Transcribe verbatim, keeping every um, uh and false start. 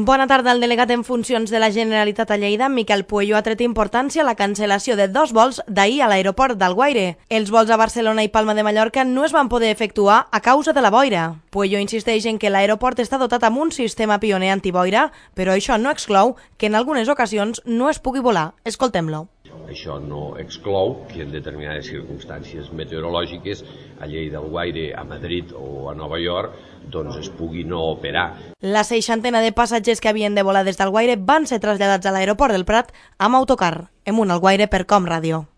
Bona tarda. El delegat en funcions de la Generalitat a Lleida, Miquel Pueyo, ha tret importància a la cancel·lació de dos vols d'ahir a l'aeroport d'Alguaire. Els vols a Barcelona i Palma de Mallorca no es van poder efectuar a causa de la boira. Pueyo insisteix en que l'aeroport està dotat amb un sistema pioner antiboira, però això no exclou que en algunes ocasions no es pugui volar. Escoltem-lo. Això no exclou que en determinades circumstàncies meteorològiques a Lleida, Alguaire, a Madrid o a Nova York doncs es pugui no operar. La seixantena de passatgers que havien de volar des d'Alguaire van ser traslladats a l'aeroport del Prat amb autocar, en un Alguaire per Com Ràdio.